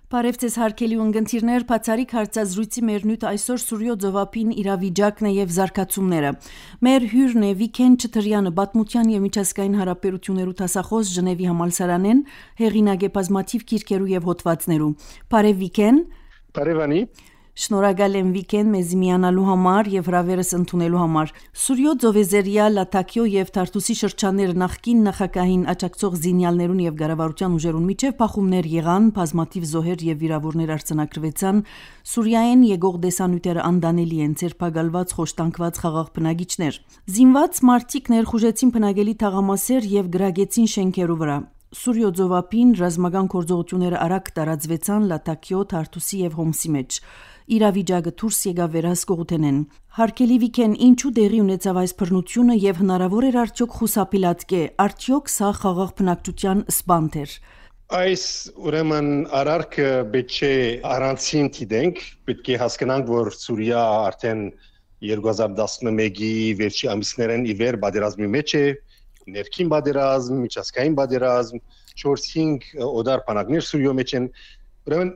Բարև ձեզ հարգելի ունգընտիրներ, բացառիկ հարցազրույցի մեր նյութ այսօր Սուրյո Ձովապին իրավիճակն է եւ զարգացումները։ Մեր հյուրն է Վիգեն Չթրյանը, պատմության եւ միջազգային հարաբերություններու դասախոս Ժնևի համալսարանեն, հեղինակ է բազմաթիվ գիրքերու եւ հոդվածներու։ Բարև Վիգեն։ Բարևանի։ Շնորհակալ եմ Վիգեն մեզի միանալու համար եւ հրավերս ընդունելու համար։ Սուրյո Ձովեզերիա, Լատակիո եւ Թարտուսի շրջանները նախկին նախագահին աջակցող զինյալներուն եւ գարավարության ուժերուն միջև փախումներ եղան, բազմաթիվ զոհեր եւ վիրավորներ արձանագրվեցան։ Սուրիայեն եկող դեսանյութերը անդանելի են, ցերպակալված, խոշտանգված խաղաղ բնակիչներ։ Զինված մարտիկ ներխուժեցին բնակելի թաղամասեր եւ գրագեցին շենքերու վրա։ Սուրյո Ձովապին ռազմական գործողությունները արագ տարածվեցան Լատակիո, Թարտուսի եւ Հոմսի մեջ։ Իրավիճակը դուրս եկավ վերահսկողութենեն։ Հարկելի Վիգեն, ինչու դեղի ունեցավ այս բռնությունը եւ հնարավոր էր արդյոք խուսափիլատկե, արդյոք սա խաղաղ բնակչության սպանդ էր։ Այս ուրեմն արարքը պետք է առանցին դիտենք, պետք է հասկանանք, որ Սուրիա արդեն 2011-ի վերջի ամիսներն ի վեր պատերազմի մեջ է, ներքին պատերազմ, միջազգային պատերազմ, 4-5 օդար բանակներ Սուրիո մեջ են։ Ուրեմն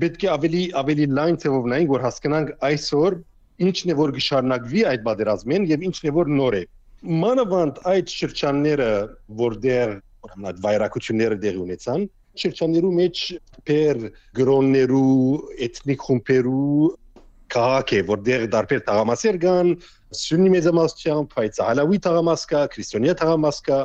պետք է ավելի լայն ձևով նայենք, որ հասկանանք այսօր ինչն է որ գշարնակվի այդ պատերազմին եւ ինչն է որ նոր է։ Մանավանդ այդ շրջանները, որտեղ ուրեմն այդ վայրակությունները դեղի ունեցան, շրջաններու մեջ per գրոններու, էթնիկ խումբերու քաղաք է, որտեղ դարբեր թաղամասեր կան, սուննի մեծամասնությամբ, հայցահալավի թաղամաս կա, քրիստոնյա թաղամաս կա,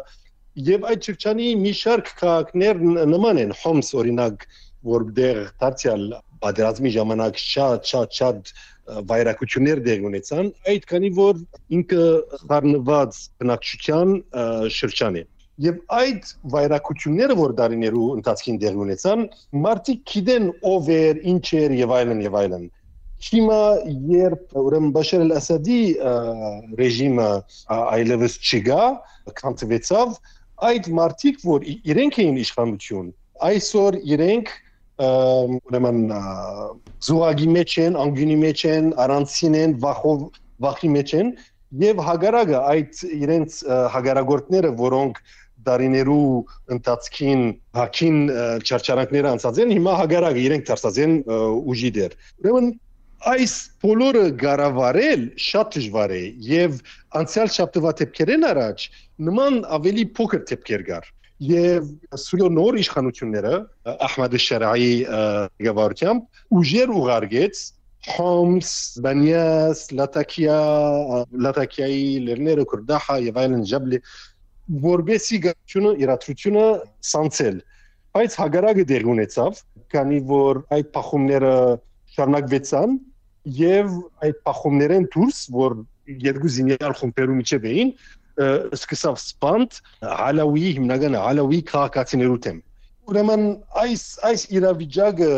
եւ այդ շրջանի մի շարք քաղաքներ նման են, Հոմս օրինակ, որտեղ դարձյալ պատերազմի ժամանակ շատ վայրակություններ դեղի ունեցան, այդ քանի որ ինքը խառնված բնակչության շրջան է։ Եվ այդ վայրակությունները, որ դարիներու ընթացքին դեղի ունեցան, մարդիկ գիտեն ով էր, ինչ էր եւ այլն եւ այլն։ Հիմա երբ ուրեմն Բաշար al-Ասադի ռեժիմը այլևս չկա, քանթվեցավ, այդ մարդիկ, որ իրենք էին իշխանություն, այսօր իրենք ուրեմն զուգի մեջ են, անգյունի մեջ են, առանցին են, վախի մեջ են եւ հագարակը այդ իրենց հագարագործները, որոնք դարիներու ընթացքին հակին չարչարանքները անցած են, հիմա հագարակը իրենք դարձած են ուժի դեր։ Ուրեմն այս բոլորը գարավարել շատ դժվար է եւ անցյալ շաբթվա դեպքերեն առաջ նման ավելի փոքր դեպքեր կար։ Եվ Սուրիո նոր իշխանությունները Ահմեդ Շարայի գավառությամբ ուժեր ուղարկեց Հոմս, Բանյաս, Լատակիայի լեռները, Քուրդախա եւ այլն ջաբլի որբեսի գարությունը իրադրությունը սանցել։ Բայց հագարակը դեղ ունեցավ, քանի որ այդ փախումները շարունակվեցան եւ այդ փախումներեն դուրս, որ երկու զինյալ խումբերու միջև էին, սկսավ սպանդ հալավի հիմնական հալավի քաղաքացիներու դեմ։ Ուրեմն այս իրավիճակը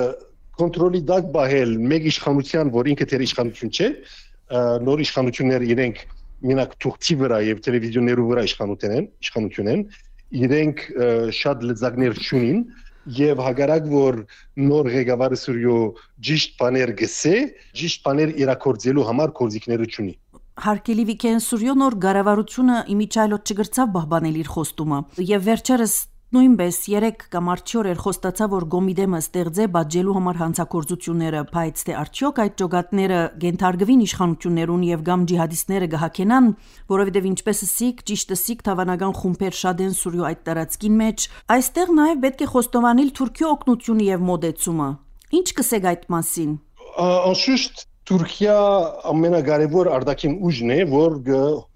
կոնտրոլի տակ բահել մեկ իշխանության, որ ինքը դեր իշխանություն չէ, նոր իշխանությունները իրենք մենակ թուղթի վրա եւ տելևիզիոներու վրա իշխանություն են, իրենք շատ լծակներ չունին եւ հագարակ որ նոր ղեկավարը Սուրիո ճիշտ բաներ գսե, ճիշտ բաներ իրակորձելու համար կորզիկները չունի։ Հարկելի Վիգեն, Սուրիո նոր գարավարությունը իմիջայլոտ չգրծավ բահբանել իր խոստումը եւ վերջերս նույնպես 3 կամ 4 էր խոստացավ որ Գոմիդեմը ստեղծե բաժելու համար հանցագործությունները, բայց թե արդյոք այդ ճոգատները գենթարգվին իշխանություններուն եւ կամ ջիհադիստները գահակենան, որովհետեւ ինչպես ասիկ, ճիշտ ասիկ թավանական խումբեր շատ են Սուրիո այդ տարածքին մեջ, այստեղ նաեւ պետք է խոստովանել Թուրքիո օգնությունը եւ մոդեցումը։ Ինչ կսեք այդ մասին։ Անշուշտ Թուրքիա ամենակարևոր արտաքին ուժն է, որ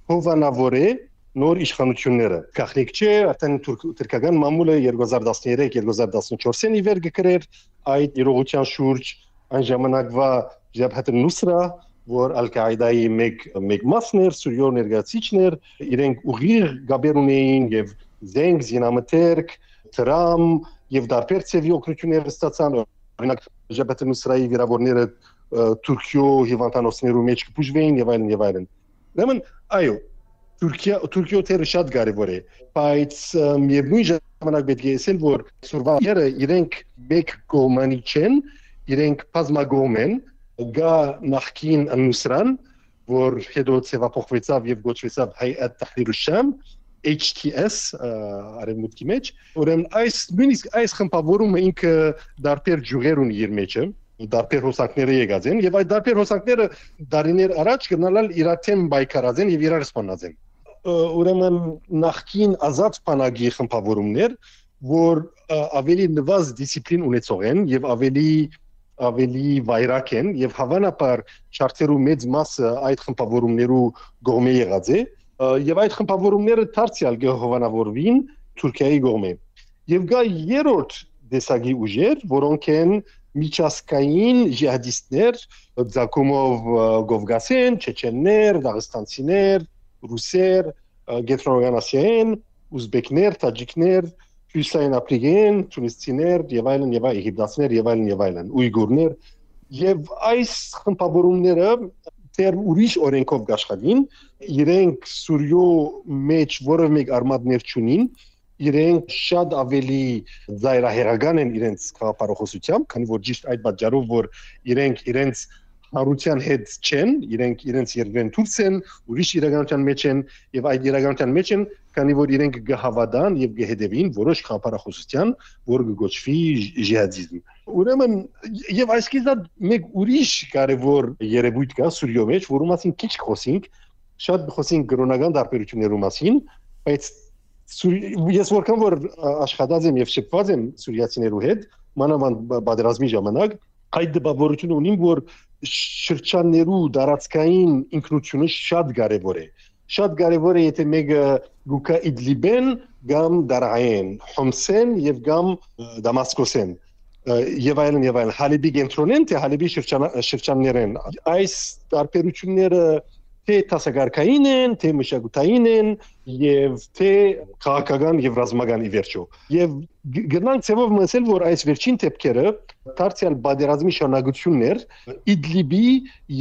հովանավոր է նոր իշխանությունները։ Գաղտնիք չէ, արդեն թուրքական մամուլը 2013-2014-ին ի վեր գկրեր այդ իրողության շուրջ այն ժամանակվա Ջաբհաթ al-Նուսրա, որ Ալ-Կաիդայի մեկ մասն էր, Սուրիո ներկայացիչներ, իրենք ուղիղ գաբեր ունեին եւ զենք, զինամթերք, դրամ եւ դարբեր ծևի օգնություններ ստացան։ Օրինակ Ջաբհաթ al-Նուսրայի վիրավորները Թուրքիո հիվանդանոցներու մեջ կբուժվեին եւ այլն։ Ուրեմն այո, Թուրքիո թերը շատ կարևոր է, բայց միևնույն ժամանակ պետք է ասել, որ սուրվաները իրենք մեկ կողմանի չեն, իրենք բազմակողմ են, գա նախկին Al-Նուսրան, որ հետո ցեվափոխվեցավ եւ գոչվեցավ Հայաթ Թահրիր al-Շամ, HTS արևմուտքի մեջ, ուրեմն այս խմբավորումը ինքը դարբեր ջուղեր ունի իր մեջը, դարբեր հոսանքները եկած են, եւ այդ դարբեր հոսանքները դարիներ առաջ գնալալ իրար թեմ բայկարած են եւ իրար սպանած են։ Ուրեմն նախքին ազատ բանակի խմբավորումներ, որ ավելի նվազ դիսցիպլին ունեցող են եւ ավելի վայրակ են եւ հավանաբար շարքերու մեծ մասը այդ խմբավորումներու կողմէ եղած է եւ այդ խմբավորումները դարձյալ կհովանավորվին Թուրքիայի կողմէ եւ գա երրորդ դեսագի ուժեր, որոնք են միջազգային ջիհադիստներ, Ձակումով Գովգասեն, չեչեններ, դաղստանցիներ, ռուսեր, Կենտրոնական Ասիայեն, ուզբեկներ, տաջիկներ, Հյուսային Աֆրիկյան, թունիսցիներ եւ այլն եւ եգիպտացիներ եւ այլն, ույգուրներ եւ այս խմբավորումները դեռ ուրիշ օրենքով աշխատին, իրենք Սուրիո մեջ որևէ մեկ արմատներ չունին, իրենք շատ ավելի զայրահեղական են իրենց քաղաքապարողությամբ, քանի որ ճիշտ այդ պատճառով որ իրենց հարության հետ չեն, իրենց երկրեն դուրս են, ուրիշ իրականության մեջ են եւ այդ իրականության մեջ են, քանի որ իրենք գհավադան եւ գհետեւին որոշ քաղաքապարողության, որ կգոչվի ջիհադիզմ։ Ուրեմն եւ այսքիզա մեկ ուրիշ կարևոր երևույթ կա Սուրիո մեջ, որում մասին քիչ խոսենք, շատ խոսենք կրոնական տարբերություններու մասին, բայց ես որքան որ աշխատած եմ եւ շփված եմ սուրիացիներու հետ, մանավանդ պատերազմի ժամանակ, այդ դպավորությունը ունիմ, որ շրջաններու դարածքային ինքնությունը շատ կարևոր է։ Շատ կարևոր է, եթե մեկը գուկա Իդլիբեն, կամ Դարայեն, Հոմսեն եւ կամ Դամասկոսեն եւ այլն, Հալեբի կենտրոնեն, թե Հալեբի շրջաններեն։ Այս տարբերությունները թե տասագարկային են, թե մշակութային են եւ թե քաղաքական եւ ռազմական ի վերջո։ Եվ գնանք ցեվով մսել, որ այս վերջին դեպքերը դարձյալ բادرազմի շարունակություններ Իդլիբի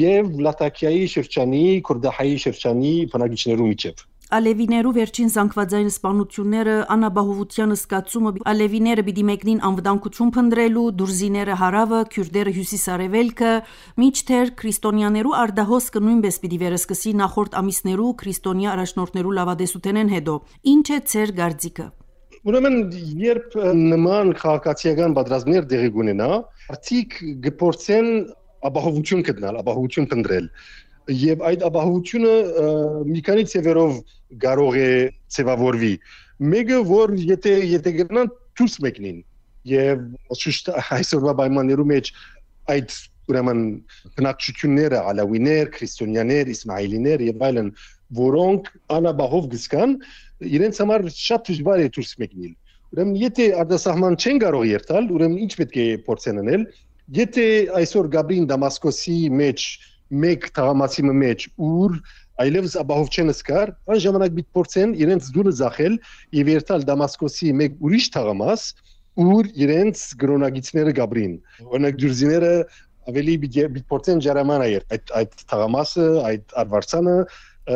եւ Լատակիայի շրջանի, Քուրդահայի շրջանի բնակիչներու միջև։ Ալևիներու վերջին զանգվածային սպանությունները անաբահովության զգացումը ալևիները պիտի մեկնին անվտանգություն փնտրելու, դուրզիները հարավը, քյուրդերը հյուսիսարևելքը, միջթեր քրիստոնյաներու արդահոսքը նույնպես պիտի վերսկսի նախորդ ամիսներու քրիստոնյա առաջնորդներու լավադեսութենեն հետո։ Ինչ է ձեր գարձիկը։ Ուրեմն երբ նման քաղաքացիական պատրաստներ դեղի կունենա, արդիկ գործեն ապահովություն գտնել, ապահովություն փնտրել։ Եվ այդ ապահովությունը մի քանի ծևերով կարող է ծևավորվի։ Մեկը որ եթե գտնան դուրս մեկնին եւ այսօրվա պայմաններու մեջ այդ ուրեմն բնակչությունները ալավիներ, քրիստոնյաներ, իսմայելիներ եւ այլն, որոնք անապահով գսկան, իրենց համար շատ դժվար է դուրս մեկնել։ Ուրեմն եթե արտասահման չեն կարող երթալ, ուրեմն ինչ պետք է փորձեն անել։ Եթե այսօր Գաբրին Դամասկոսի մեջ մեկ թաղամասի մեջ ուր այլևս ապահով չեն սկար, այն ժամանակ պիտի փորձեն իրենց դուրը զախել եւ երթալ Դամասկոսի մեկ ուրիշ թաղամաս, ուր իրենց գրոնագիցները Գաբրին։ Օրինակ դուրզիները ավելի պիտի փորձեն ջարամանայր այդ թաղամասը, այդ արվարձանը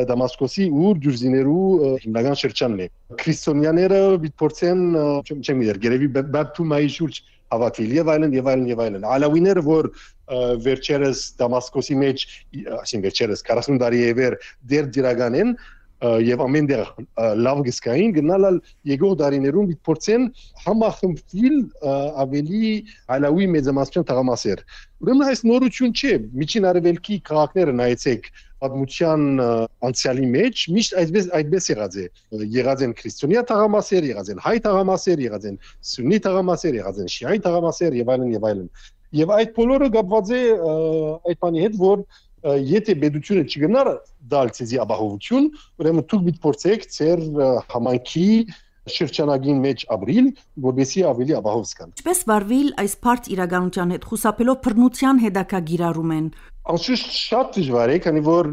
Դամասկոսի ուր դուրզիներու հիմնական շրջանն է։ Քրիստոնյաները պիտի փորձեն, չեմ գիտեր, գերեւի բապտումայի շուրջ հավաքվել եւ այլն։ Ալավիները, որ վերջերս Դամասկոսի մեջ, այսինքն վերջերս 40 տարի է վեր դեր դիրական են եւ ամեն դեր լավ գսկային գնալ եկող դարիներում պիտի փորձեն համախմբվել ավելի ալավի մեծամասնության թաղամասեր։ Ուրեմն այս նորություն չէ, միջին արևելքի քաղաքները նայեցեք պատմության անցյալի մեջ միշտ այդպես եղած է։ Եղած են քրիստոնյա թաղամասեր, եղած են հայ թաղամասեր, եղած են սուննի թաղամասեր, եղած են շիայի թաղամասեր եւ այլն։ Եվ այդ բոլորը կապված է այդ բանի հետ, որ եթե պետությունը չգնար դալ ցեզի ապահովություն, ուրեմն դուք պիտի փորձեք ձեր համայնքի շրջանագին մեջ ապրիլ, որովհետեւ ավելի ապահով զգան։ Ինչպես վարվել այս բարդ իրականության հետ, խուսափելով բռնության հետաքրքիրարում են։ Անշուշտ շատ դժվար է, քանի որ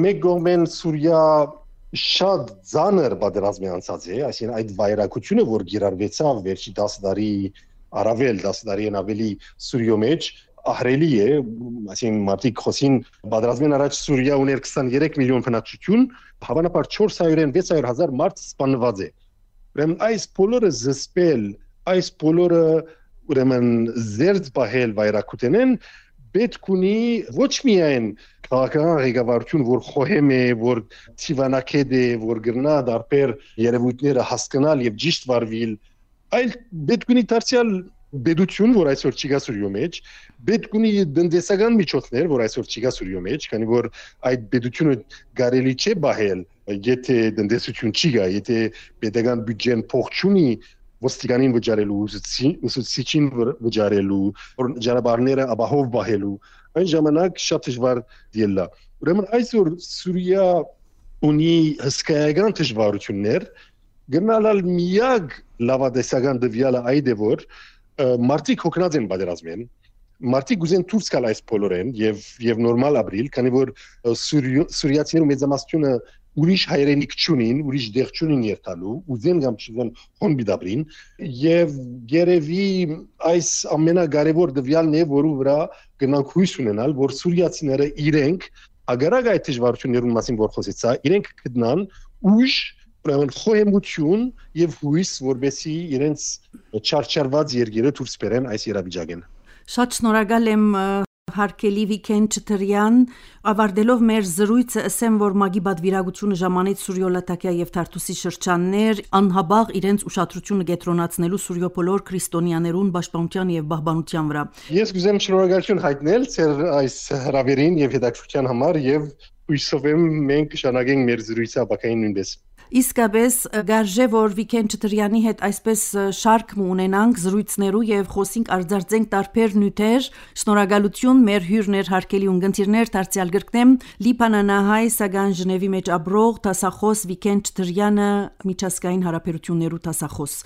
մեկ կողմեն Սուրիա շատ ծանր պատերազմի անցած է, այսինքն այդ վայրակությունը, որ գիրարվեցավ վերջի 10 տարի առավել 10 տարին ավելի Սուրիո մեջ ահրելի է, այսինքն մարդիկ խոսին պատերազմին առաջ Սուրիա ուներ 23 միլիոն բնակչություն, հավանաբար 400-600 հազար մարդ սպանված է։ Ուրեմն այս բոլորը զսպել, այս բոլորը ուրեմն զերծ բահել վայրակութենեն պետք ունի ոչ միայն քաղաքական ղեկավարություն, որ խոհեմ է, որ ցիվանակետ է, որ գրնա դարբեր երևույթները հասկանալ եւ ճիշտ վարվել, այլ պետք ունի դարձյալ բեդություն, որ այսօր չի գա Սուրիո մեջ, պետք ունի տնտեսական միջոցներ, որ այսօր չի գա Սուրիո մեջ, քանի որ այդ բեդությունը կարելի չէ բահել, եթե տնտեսություն չի գա, եթե պետական բյուջեն փող չունի ոստիկանին վճարելու, ուսուցիչին վճարելու, ճանապարհները ապահով բահելու, այն ժամանակ շատ դժվար դիելա։ Ուրեմն այսօր Սուրիա ունի հսկայական դժվարություններ, գնալալ միակ լավադեսական դվյալը այդ է, որ մարդիկ հոգնած են պատերազմեն, մարդիկ ուզեն դուրս գալ այս բոլորեն եւ նորմալ ապրիլ, քանի որ սուրիացիները մեծամասնությունը ուրիշ հայրենիք չունին, ուրիշ դեղ չունին երթալու, ուզեն կամ չուզեն հոն բիդաբրին, եւ երևի այս ամենակարևոր դվյալն է, որու վրա գնանք հույս ունենալ, որ սուրիացիները իրենք ագարակ այդ դժվարություններուն մասին որ խոսեցա, իրենք գտնան ուժ ուրեմն խոհեմություն եւ հույս, որբեսի իրենց չարչարված երկիրը դուրս բերեն այս իրավիճակեն։ Շատ շնորհակալ եմ հարկելի Վիկեն Չթրյան, ավարտելով մեր զրույցը ասեմ, որ մագի բادվիրագությունը ժամանեց Սուրիո Լատակիա եւ Թարտուսի շրջաններ անհաբաղ իրենց ուշադրությունը կենտրոնացնելու Սուրիո բոլոր քրիստոնյաներուն պաշտպանության եւ պահպանության վրա։ Ես կուզեմ շնորհակալություն հայտնել ձեր այս հրավերին եւ հետաքրքրության համար եւ հույսով եմ մենք շնորհակենք մեր զրույցը ապակային նույնպես։ Իսկապես գարժե որ Վիկեն Չթրյանի հետ այսպես շարք ունենանք զրույցներու եւ խոսենք արձարծենք տարբեր նյութեր շնորհակալություն մեր հյուրներ հարկելի ունգընտիրներ դարձյալ գրկնեմ Լիբանանահայ Սագան Ժնևի մեջ ապրող տասախոս Վիկեն Չթրյանը միջազգային հարաբերություններու տասախոս